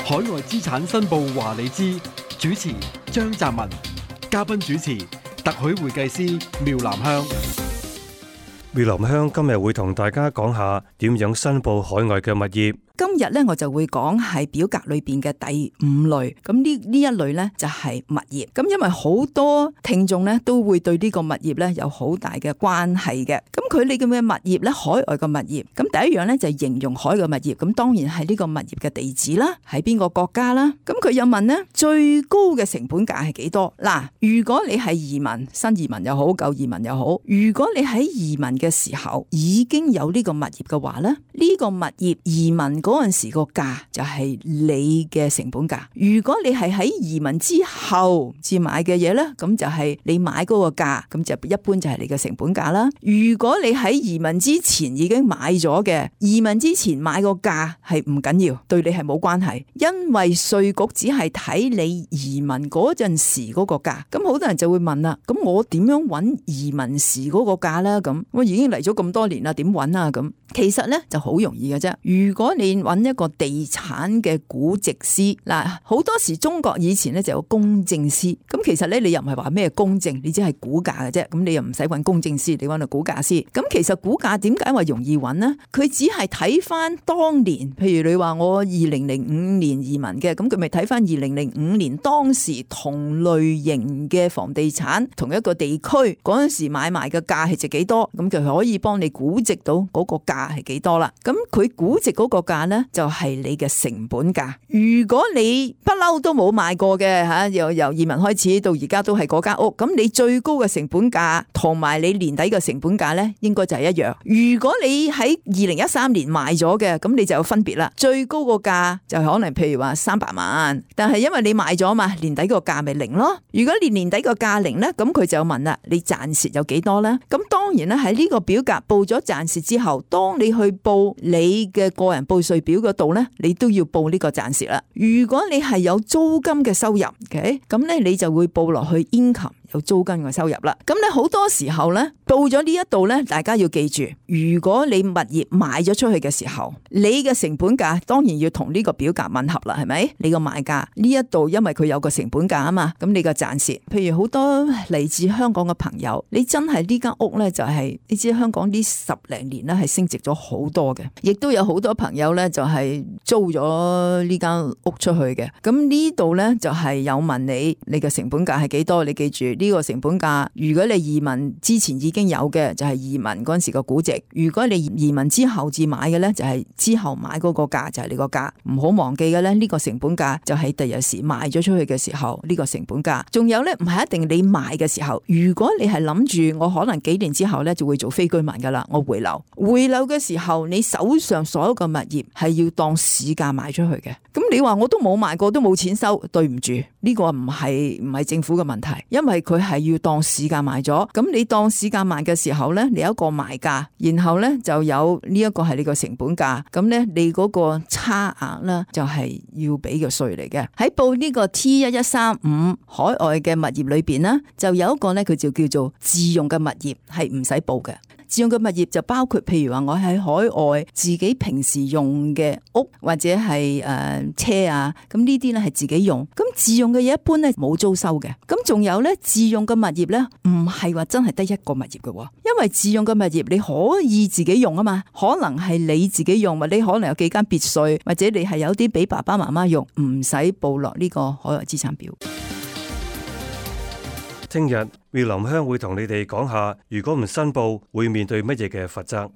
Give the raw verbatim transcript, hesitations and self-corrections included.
海外資產申報話你知，主持張澤文，嘉賓主持特許會計師苗南香。苗南香今日會同大家講下點樣申報海外嘅物業。今日咧我就會講係表格裏邊嘅第五類，咁呢呢一類咧就係物業。咁因為好多聽眾咧都會對呢個物業咧有好大嘅關係嘅。咁佢哋嘅物業咧，海外嘅物業，咁第一樣咧就係形容海外物業，咁當然係呢個物業嘅地址啦，喺邊個國家啦。咁佢又問咧最高嘅成本價係幾多？嗱，如果你係移民，新移民又好，舊移民又好，如果你喺移民嘅時候已經有呢個物業嘅話咧，呢個物業移民嗰陣時個價就係你嘅成本價。如果你係喺移民之後至買嘅嘢咧，咁就係你買嗰個價，咁就一般就係你嘅成本價啦。如果你喺移民之前已經買咗嘅，移民之前買個價係唔緊要，對你係冇關係，因為稅局只係睇你移民嗰陣時嗰個價。咁好多人就會問啦，咁我點樣揾移民時嗰個價咧？咁我已經嚟咗咁多年啦，點揾啊？咁其實咧就好容易嘅啫。如果你揾一個地產嘅估值師，嗱，好多時中國以前咧就有公證師，咁其實咧你又唔係話咩公證，你只係估價嘅啫，咁你又唔使揾公證師，你揾個估價師。咁其實估價點解話容易揾呢？佢只係睇翻當年，譬如你話我二零零五年移民嘅，咁佢咪睇翻二零零五年當時同類型嘅房地產同一個地區嗰陣時買賣嘅價係值幾多，咁就可以幫你估值到嗰個價係幾多啦。咁佢估值嗰個價呢，就係你嘅成本價。如果你不嬲都冇買過嘅吓，由由移民開始到而家都係嗰間屋，咁你最高嘅成本價同埋你年底嘅成本價呢，應該就係一樣。如果你喺二零一三年買咗嘅，咁你就有分別啦。最高個價就可能譬如話三百萬，但係因為你買咗嘛，年底個價咪零咯。如果你年底個價零呢，咁佢就問啦，你賺蝕有幾多呢？咁當然咧喺呢個表格報咗賺蝕之後，當你去報你嘅個人報稅表嗰度呢，你都要報呢個賺蝕啦。如果你係有租金嘅收入嘅，咁咧你就會報落去 income。有租金嘅收入啦，咁咧好多時候咧到咗呢一度咧，大家要記住，如果你物業賣咗出去嘅時候，你嘅成本價當然要同呢個表格吻合啦，係咪？你個賣價呢一度，因為佢有個成本價啊嘛，咁你個賺蝕，譬如好多嚟自香港嘅朋友，你真係呢間屋咧就係、是、你知香港呢十零年咧係升值咗好多嘅，亦都有好多朋友咧就係租咗呢間屋出去嘅，咁呢度咧就係有問你，你嘅成本價係幾多？你記住。呢個成本價，如果你移民之前已經有嘅，就係移民嗰陣時個估值；如果你移民之後至買嘅呢，就係之後買嗰個價，就係你個價。唔好忘記嘅呢，呢個成本價就係第日時賣咗出去嘅時候，呢個成本價。仲有呢，唔係一定你賣嘅時候，如果你係諗住我可能幾年之後呢就會做非居民噶啦，我回流，回流嘅時候，你手上所有嘅物業係要當市價賣出去嘅。咁你話我都冇賣過，都冇錢收，對唔住，呢個唔係唔係政府嘅問題，因為佢係要當市價賣咗。咁你當市價賣嘅時候呢，你有一個賣價，然後呢就有呢一個係你個成本價，咁呢你嗰個差額呢就係要俾個稅嚟嘅。喺報呢個 T 一一三五海外嘅物業裏邊呢，就有一個呢，佢就叫做自用嘅物業，係唔使報嘅。自用嘅物業就包括譬如話我喺海外自己平時用嘅屋或者係誒、呃、車啊，咁呢啲咧係自己用。咁自用嘅嘢一般咧冇租收嘅。咁仲有咧自用嘅物業咧唔係話真係得一個物業嘅，因為自用嘅物業你可以自己用啊嘛，可能係你自己用，或者你可能有幾間別墅，或者你係有啲俾爸爸媽媽用，唔使報落呢個海外資產表。聽日苗林香會同你哋講下，如果唔申報會面對乜嘢嘅罰則。